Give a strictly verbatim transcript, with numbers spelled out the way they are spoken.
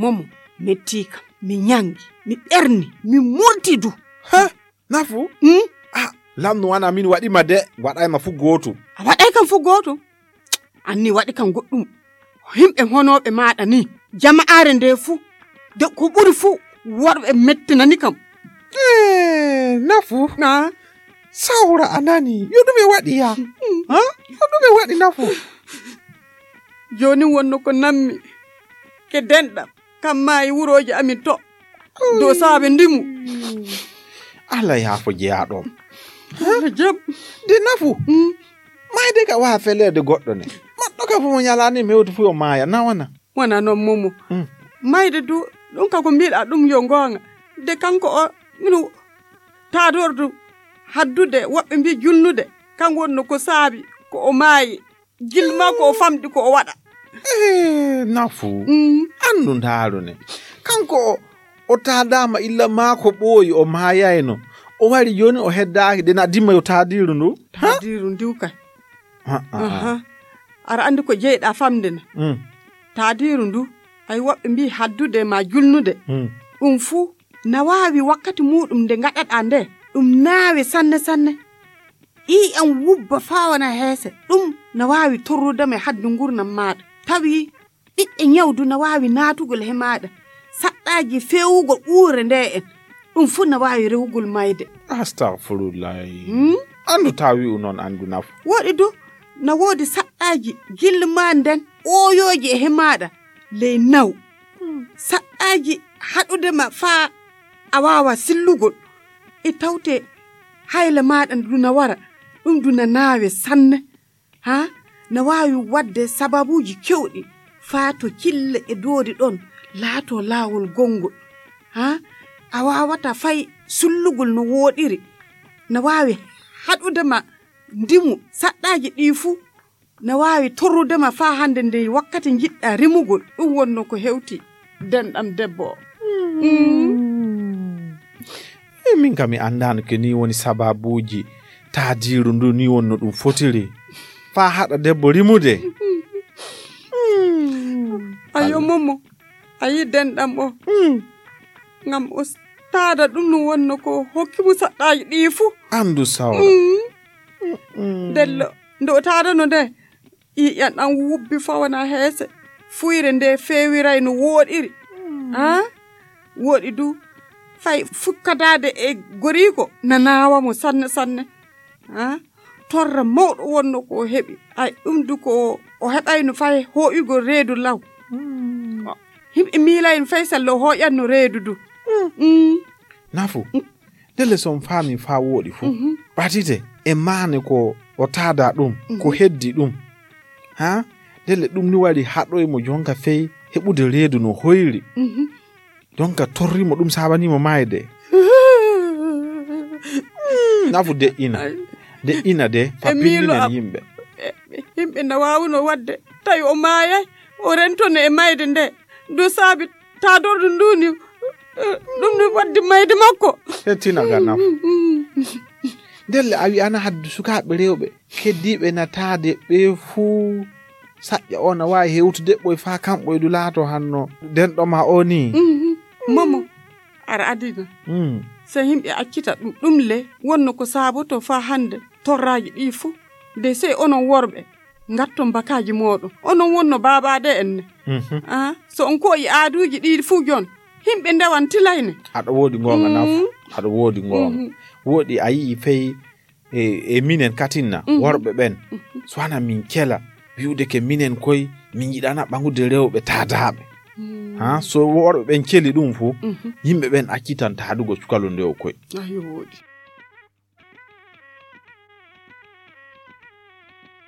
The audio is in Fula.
Momo, mettii kam, mi ñanngi, mi ɓerni, mi murti du. Ha? Nafu? Hmm? Ah, lamnu wana min waɗi ma de, waɗay ma fu gootum. A waɗay kam fu gootum? Anni waɗi kam goɗɗum. Yimɓe honooɓe maaɗa ni, jama'aare nde fu, de ko ɓuri fu, worɓe mettinani kam. Eh, Nafu? Na? Sawra a nani, yo ɗume waɗi ya? Ha? Yo ɗume waɗi Nafu? Jooni wonno ko nammi, ke denɗam, kam maayi wurooji amin to, dow saabe ndimu. Allah yaafo jeyaaɗo. Jam. De Nafu, mayde ka waa feleede goɗɗo ne. Maɗɗo ka fu mo ñalaani mewti fu yo maaya, na wana? Wana noon, Momo. Mm. Mayde du, ɗum ka ko mbiɗa ɗum yo goonga. De kanko o, mino taadordu haddude, woɓɓe mbi julnude. Kan wonno ko saabi, ko o maayi. Gilma ko o famɗi ko o waɗa. Eh, Nafu. Mm. Annu ndaaru ne. Kanko o, o taadaama illa maa ko ɓooyi, o maayayno. O wari jooni o heddaaki, de na dimma yo taadiiru ndu. Ha? Taadiiru ndiw kay. Ah, ah, ah. Aha. Aɗa anndi ko jeyɗa famde na. Mm. Taadiiru ndu, ay woɓɓe mbi haddude ma julnude. Mm. Ɗum fuu na waawi wakkati muuɗum nde ngaɗaɗa nde. Ɗum naawe sanne sanne. Ƴiiƴam wubba faa wona heese. Ɗum na waawi torrude ma e haddu ngurnam maaɗa. Tawi ɓiɓɓe ñawdu na waawi naatugol he maaɗa. Saɗɗaaji feewugol ɓuure nde en. Ɗum fuu na waawi rewugol mayde. Astagfirullahi. Hmm? Anndu taa wi'u noon anndu nafu. Woɗi du, na woodi saɗɗaaji gilma nden ɓooyooji e he maaɗa ley naw. Hmm. Saɗɗaaji haɗude ma faa a waawa sillugol. E tawte hayla maaɗa ndu na wara, ɗum ndu na naawe sanne. Ha? Na waawi waɗde sababuuji keewɗi faa to kille e doori ɗon laato laawol gonngol. Ha? A waawata fay sullugol no wooɗiri. Na waawi haɗude ma ndimu saɗɗaaji ɗi fuu. Na waawi torrude ma faa hannde nde wakkati njiɗɗa rimugol. Ɗum wonno ko hewti denɗam debbo o. Mm. E min kam mi anndaano ke ni woni sababuuji taadiiru ndu ni wonno ɗum fotiri. Faa haɗa debbo rimude. Mm. Ayo, Momo. A yi denɗam o. Mm. Ngam o taada ɗum no wonno ko hokki mo saɗɗaaji ɗi fuu. Anndu sawra. Mm. Mm. Ndello, nde o taadano nde, ƴiiƴam ɗam wubbi faa wona heese. Fuyre nde feewiray no wooɗiri. Mm. Ha? Wooɗi du, fay fukkadaade e goriiko na naawa mo sanne sanne. Ha? Torra mawɗo wonno ko o heɓi. Ay, ɗum du ko o heɓayno fay hooƴugol reedu law. Mm. Yimɓe miilayno fay sello o hooƴanno reedu du. Mm. Mm. Nafu, mm, ndelle so on faami faa wooɗi fu, mhm, ɓatite e maane ko o taada ɗum, ko, mhm, heddi ɗum. Ha? Ndelle ɗum ni wari haɗoy mo jonka fey heɓude reedu no hoyri. Mhm. Jonka torri mo ɗum saabani mo maayde. Mm, nafu deƴƴina. Ay. Deƴƴina de, e miilo fappininen am, yimɓe. E, yimɓe na waawuno waɗde, tawi o maayay, o rentono e mayde nde. Ndu saabi taadordu ndu ni, eh, ɗum ni waddi mayde makko. Hettina ga nafu. Ndelle a wi'ana haddu sukaaɓe rewɓe keddiiɓe na taade ɓe fuu saƴƴa o na waawi hewtude ɓoy faa kamɓoy du laato hanno denɗo ma o ni. Mhm. Momo, ara adina. Mm. So yimɓe accita ɗum, ɗum le wonno ko saaboto faa hannde torraaji ɗi fuu. De sey onon worɓe, ngatton bakaaji mooɗon. Onon wonno baabaaɗe en ne. Mhm. Ah, so on koyi aaduuji ɗi fuu jon, yimɓe ndewan tilayne. Aɗa woodi goonga nafu. Mm. Aɗa woodi goonga. Mhm. Woodi a yi'i fey e, e minen katinna, mhm, worɓe ɓen. Mhm. So wana min kela, wi'ude ke minen koy, min yiɗana ɓaŋude rewɓe taadaaɓe. Mm. Ha, so worɓe ɓen celi ɗum fuu, mhm, yimɓe ɓen accitan taadugo cukalo ndew koy. Ayo, woodi.